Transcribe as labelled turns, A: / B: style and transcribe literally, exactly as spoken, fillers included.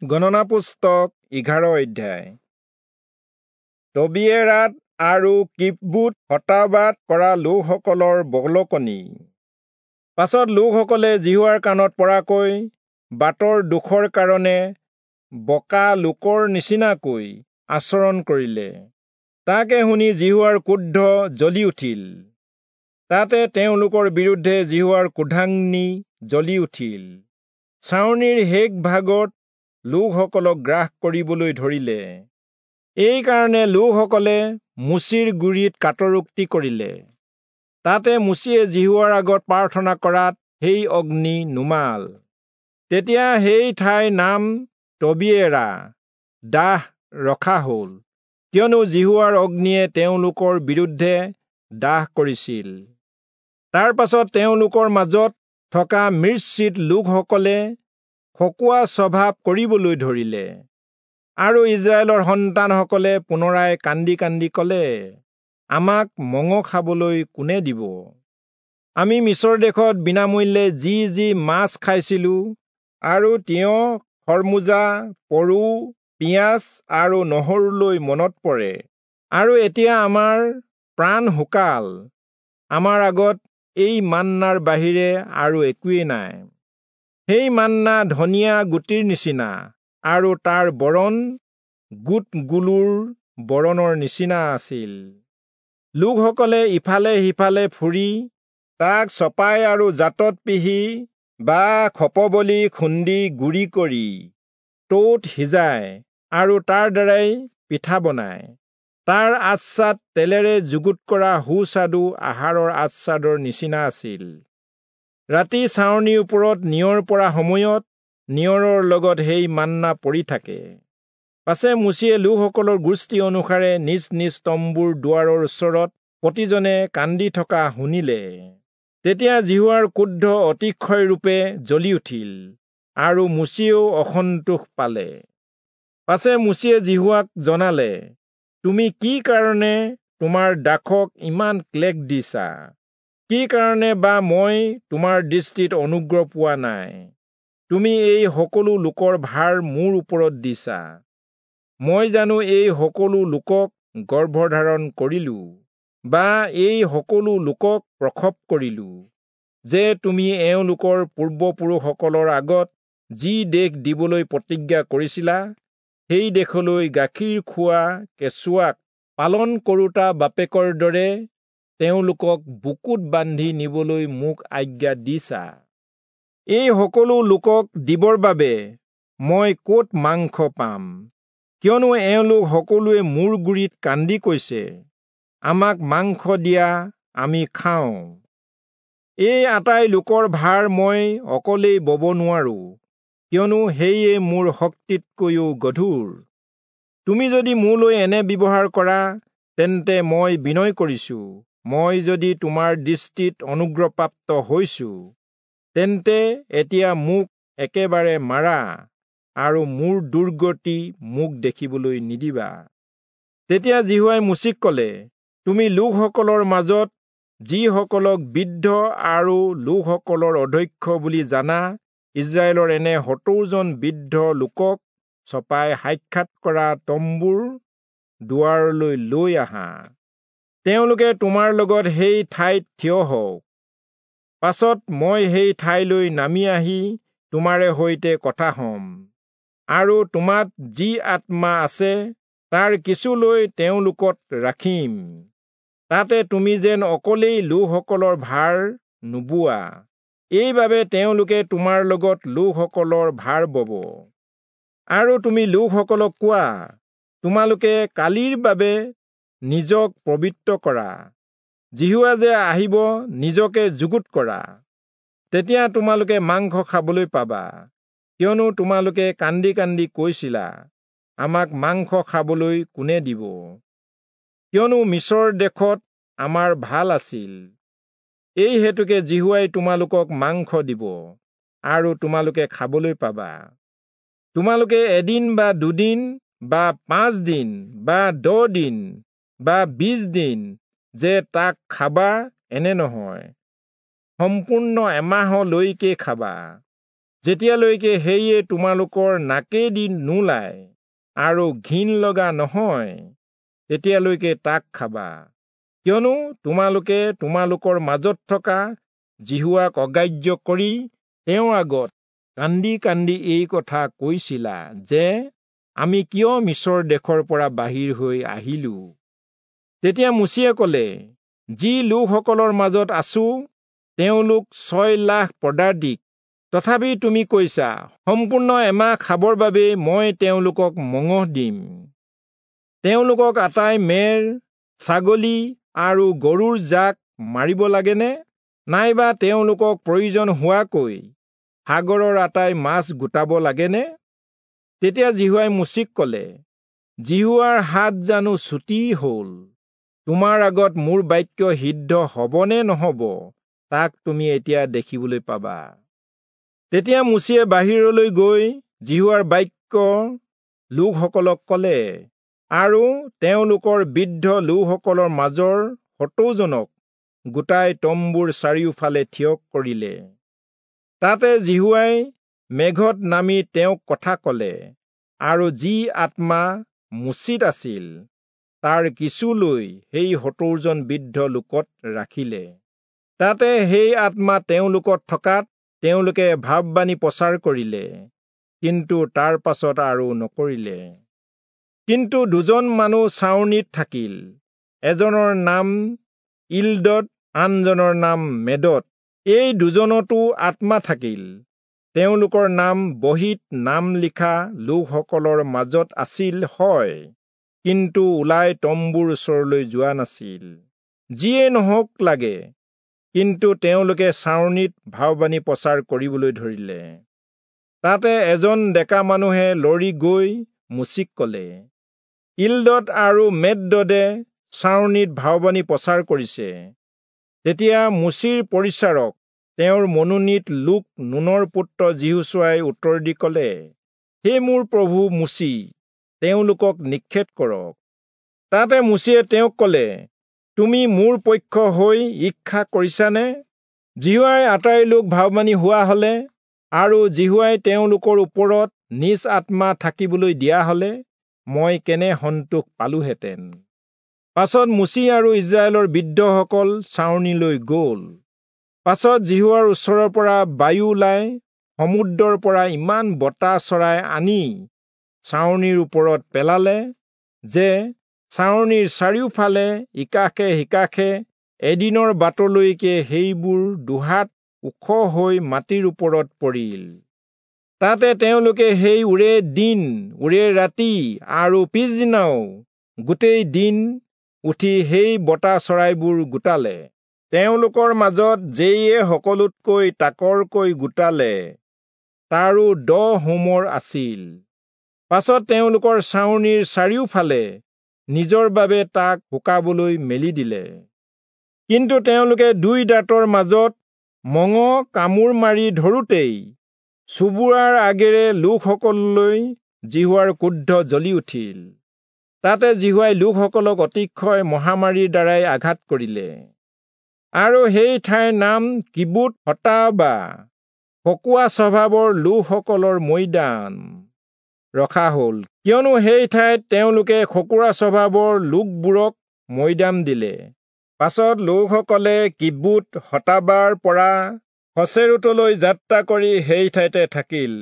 A: গণনা পুস্তক এঘাৰ অধ্যায়। তবিয়েৰাত আৰু কিব্ৰোত হত্তাবাত কৰা লোকসকলৰ বলকনি। পাছত লোকসকলে যিহোৱাৰ কাণত পৰাকৈ বাটৰ দোষৰ কাৰণে বকা লোকৰ নিচিনাকৈ আচৰণ কৰিলে। তাকে শুনি যিহোৱাৰ ক্ৰোধ জ্বলি উঠিল। তাতে তেওঁলোকৰ বিৰুদ্ধে যিহোৱাৰ ক্ৰোধাগ্নি জ্বলি উঠিল। ছাউনিৰ শেষ ভাগত লোকসকলক গ্ৰাস কৰিবলৈ ধৰিলে। এইকাৰণে লোকসকলে মোচিৰ গুৰিত কাতৰোক্তি কৰিলে। তাতে মোচিয়ে যিহোৱাৰ আগত প্ৰাৰ্থনা কৰাত সেই অগ্নি নুমাল। তেতিয়া সেই ঠাইৰ নাম তবিয়েৰা দাহ ৰখা হল, কিয়নো যিহোৱাৰ অগ্নিয়ে তেওঁলোকৰ বিৰুদ্ধে দাহ কৰিছিল। তাৰ পাছত তেওঁলোকৰ মাজত থকা মিশ্ৰিত লোকসকলে খকুৱা স্বভাৱ কৰিবলৈ ধৰিলে, আৰু ইস্ৰায়েলৰ সন্তানসকলে পুনৰাই কান্দি কান্দি কলে, আমাক মঙহ খাবলৈ কোনে দিব? আমি মিচৰ দেশত বিনামূল্যে যি যি মাছ খাইছিলো, আৰু তিয়ঁহ, খৰমুজা, পৰু, পিঁয়াজ আৰু নহৰুলৈ মনত পৰে। আৰু এতিয়া আমাৰ প্ৰাণ শুকাল, আমাৰ আগত এই মান্নাৰ বাহিৰে আৰু একোৱেই নাই। সেই মান্না ধনিয়া গুটিৰ নিচিনা, আৰু তাৰ বৰণ গোট গুলুৰ বৰণৰ নিচিনা আছিল। লোকসকলে ইফালে সিফালে ফুৰি তাক চপাই আৰু জাতত পিহি বা খপবলি খুন্দি গুড়ি কৰি টৌত সিজায় আৰু তাৰ দ্বাৰাই পিঠা বনায়। তাৰ আচ্ছাদ তেলেৰে যুগুত কৰা সুস্বাদু আহাৰৰ আচ্ছাদৰ নিচিনা আছিল। ৰাতি ছাউনিৰ ওপৰত নিয়ৰ পৰা সময়ত নিয়ৰৰ লগত সেই মান্না পৰি থাকে। পাছে মোচিয়ে লোকসকলৰ গোষ্ঠী অনুসাৰে নিজ নিজ তম্বুৰ দুৱাৰৰ ওচৰত প্ৰতিজনে কান্দি থকা শুনিলে। তেতিয়া যিহোৱাৰ ক্ৰোধ অতিশয়ৰূপে জ্বলি উঠিল, আৰু মোচিয়েও অসন্তোষ পালে। পাছে মোচিয়ে যিহোৱাক জনালে, তুমি কি কাৰণে তোমাৰ দাসক ইমান ক্লেশ দিছা? কি কাৰণে বা মই তোমাৰ দৃষ্টিত অনুগ্ৰহ পোৱা নাই? তুমি এই সকলো লোকৰ ভাৰ মোৰ ওপৰত দিছা। মই জানো এই সকলো লোকক গৰ্ভধাৰণ কৰিলো, বা এই সকলো লোকক প্ৰসৱ কৰিলো, যে তুমি এওঁলোকৰ পূৰ্বপুৰুষসকলৰ আগত যি দেশ দিবলৈ প্ৰতিজ্ঞা কৰিছিলা, সেই দেশলৈ গাখীৰ খোৱা কেঁচুৱাক পালন কৰোঁতা বাপেকৰ দৰে তেওঁলোকক বুকুত বান্ধি নিবলৈ মোক আজ্ঞা দিছা? এই সকলো লোকক দিবৰ বাবে মই ক'ত মাংস পাম? কিয়নো এওঁলোক সকলোৱে মোৰ গুৰিত কান্দি কৈছে, আমাক মাংস দিয়া, আমি খাওঁ। এই আটাই লোকৰ ভাৰ মই অকলেই বব নোৱাৰো, কিয়নো সেয়ে মোৰ শক্তিতকৈও গধুৰ। তুমি যদি মোলৈ এনে ব্যৱহাৰ কৰা, তেন্তে মই বিনয় কৰিছো, মই যদি তোমাৰ দৃষ্টিত অনুগ্ৰহপ্ৰাপ্ত হৈছো, তেন্তে এতিয়া মোক একেবাৰে মাৰা, আৰু মোৰ দুৰ্গতি মোক দেখিবলৈ নিদিবা। তেতিয়া যিহোৱাই মোচিক কলে, তুমি লোকসকলৰ মাজত যিসকলক বৃদ্ধ আৰু লোকসকলৰ অধ্যক্ষ বুলি জানা, ইস্ৰায়েলৰ এনে সত্তৰজন বৃদ্ধ লোকক চপাই সাক্ষাৎ কৰা তম্বুৰ দুৱাৰলৈ লৈ আহা। তেওঁলোকে তোমাৰ লগত সেই ঠাইত থিয় হওক। পাছত মই সেই ঠাইলৈ নামি আহি তোমাৰে সৈতে কথা হ'ম, আৰু তোমাত যি আত্মা আছে তাৰ কিছু লৈ তেওঁলোকত ৰাখিম। তাতে তুমি যেন অকলেই লোকসকলৰ ভাৰ নোবোৱা, এইবাবে তেওঁলোকে তোমাৰ লগত লোকসকলৰ ভাৰ বব। আৰু তুমি লোকসকলক কোৱা, তোমালোকে কালিৰ বাবে নিজক পবিত্ৰ কৰা, যিহোৱা যে আহিব নিজকে যুগুত কৰা। তেতিয়া তোমালোকে মাংস খাবলৈ পাবা, কিয়নো তোমালোকে কান্দি কান্দি কৈছিলা, আমাক মাংস খাবলৈ কোনে দিব? কিয়নো মিচৰ দেশত আমাৰ ভাল আছিল। এই হেতুকে যিহোৱাই তোমালোকক মাংস দিব, আৰু তোমালোকে খাবলৈ পাবা। তোমালোকে এদিন বা দুদিন বা পাঁচ দিন বা দহ দিন বা বিশ দিন যে তাক খাবা এনে নহয়, সম্পূৰ্ণ এমাহলৈকে খাবা। যেতিয়ালৈকে সেয়ে তোমালোকৰ নাকেদি নোলায় আৰু ঘিণ লগা নহয়, তেতিয়ালৈকে তাক খাবা। কিয়নো তোমালোকে তোমালোকৰ মাজত থকা যিহোৱাক অগ্ৰাহ্য কৰি তেওঁৰ আগত কান্দি কান্দি এই কথা কৈছিলা যে, আমি কিয় মিচৰ দেশৰ পৰা বাহিৰ হৈ আহিলো? তেতিয়া মোচিয়ে কলে, যি লোকসকলৰ মাজত আছো তেওঁলোক ছয় লাখ পদাতিক, তথাপি তুমি কৈছা, সম্পূৰ্ণ এমাহ খাবৰ বাবে মই তেওঁলোকক মঙহ দিম। তেওঁলোকক আটাই মেৰ, ছাগলী আৰু গৰুৰ জাক মাৰিব লাগেনে? নাইবা তেওঁলোকক প্ৰয়োজন হোৱাকৈ সাগৰৰ আটাই মাছ গোটাব লাগেনে? তেতিয়া যিহোৱাই মোচিক কলে, যিহোৱাৰ হাত জানো চুটি হল? তোমাৰ আগত মোৰ বাক্য সিদ্ধ হবনে নহব তাক তুমি এতিয়া দেখিবলৈ পাবা। তেতিয়া মোচিয়ে বাহিৰলৈ গৈ যিহোৱাৰ বাক্য লোকসকলক কলে, আৰু তেওঁলোকৰ বৃদ্ধ লোকসকলৰ মাজৰ সত্তৰজনক গোটাই তম্বুৰ চাৰিওফালে থিয় কৰিলে। তাতে যিহোৱাই মেঘত নামি তেওঁক কথা কলে, আৰু যি আত্মা মোচিত আছিল তাৰ কিছু লৈ সেই সত্তৰজন বৃদ্ধ লোকত ৰাখিলে। তাতে সেই আত্মা তেওঁলোকত থকাত তেওঁলোকে ভাৱবাণী প্ৰচাৰ কৰিলে, কিন্তু তাৰ পাছত আৰু নকৰিলে। কিন্তু দুজন মানুহ ছাউনিত থাকিল, এজনৰ নাম ইলদদ, আনজনৰ নাম মেদদ। এই দুজনতো আত্মা থাকিল। তেওঁলোকৰ নাম বহীত নাম লিখা লোকসকলৰ মাজত আছিল হয়, কিন্তু ওলাই তম্বুৰ ওচৰলৈ যোৱা নাছিল। যিয়ে নহওক লাগে, কিন্তু তেওঁলোকে ছাউনিত ভাৱবাণী প্ৰচাৰ কৰিবলৈ ধৰিলে। তাতে এজন ডেকা মানুহে লৰি গৈ মোচিক কলে, ইলদদ আৰু মেদদে ছাউনিত ভাৱবাণী প্ৰচাৰ কৰিছে। তেতিয়া মোচিৰ পৰিচাৰক তেওঁৰ মনোনীত লোক নুনৰ পুত্ৰ যিহোচূৱাই উত্তৰ দি কলে, হে মোৰ প্ৰভু মোচি, তেওঁলোকক নিক্ষেপ কৰক। তাতে মোচিয়ে তেওঁক কলে, তুমি মোৰ পক্ষ হৈ ঈৰ্ষা কৰিছানে? যিহোৱাই আটাই লোক ভাৱবাণী হোৱা হলে আৰু যিহোৱাই তেওঁলোকৰ ওপৰত নিজ আত্মা থাকিবলৈ দিয়া হলে মই কেনে সন্তোষ পালোহেঁতেন। পাছত মোচি আৰু ইস্ৰায়েলৰ বৃদ্ধসকল ছাউনিলৈ গ'ল। পাছত যিহোৱাৰ ওচৰৰ পৰা বায়ু ওলাই সমুদ্ৰৰ পৰা ইমান বতাহ চৰাই আনি ছাউনিৰ ওপৰত পেলালে যে ছাউনিৰ চাৰিওফালে ইকাষে সিকাষে এদিনৰ বাটলৈকে সেইবোৰ দুহাত ওখ হৈ মাটিৰ ওপৰত পৰিল। তাতে তেওঁলোকে সেই ওৰে দিন ওৰে ৰাতি আৰু পিছদিনাও গোটেই দিন উঠি সেই বতাহ চৰাইবোৰ গোটালে। তেওঁলোকৰ মাজত যেয়ে সকলোতকৈ তাকৰকৈ গোটালে তাৰো দহ হোমৰ আছিল। পাছত তেওঁলোকৰ ছাউনিৰ চাৰিওফালে নিজৰ বাবে তাক শুকাবলৈ মেলি দিলে। কিন্তু তেওঁলোকে দুই দাঁতৰ মাজত মঙহ কামোৰ মাৰি ধৰোঁতেই চুবুৰাৰ আগেৰে লোকসকললৈ যিহোৱাৰ ক্ৰোধ জ্বলি উঠিল। তাতে যিহোৱাই লোকসকলক অতিশয় মহামাৰীৰ দ্বাৰাই আঘাত কৰিলে। আৰু সেই ঠাইৰ নাম কিবুত হত্তাবা, খকুৱা স্বভাৱৰ লোকসকলৰ মৈদাম ৰখা হল, কিয়নো সেই ঠাইত তেওঁলোকে খকুৰা স্বভাৱৰ লোকবোৰক মৈদাম দিলে। পাছত লোকসকলে কিবুত হত্তাবাৰ পৰা হচেৰোতলৈ যাত্ৰা কৰি সেই ঠাইতে থাকিল।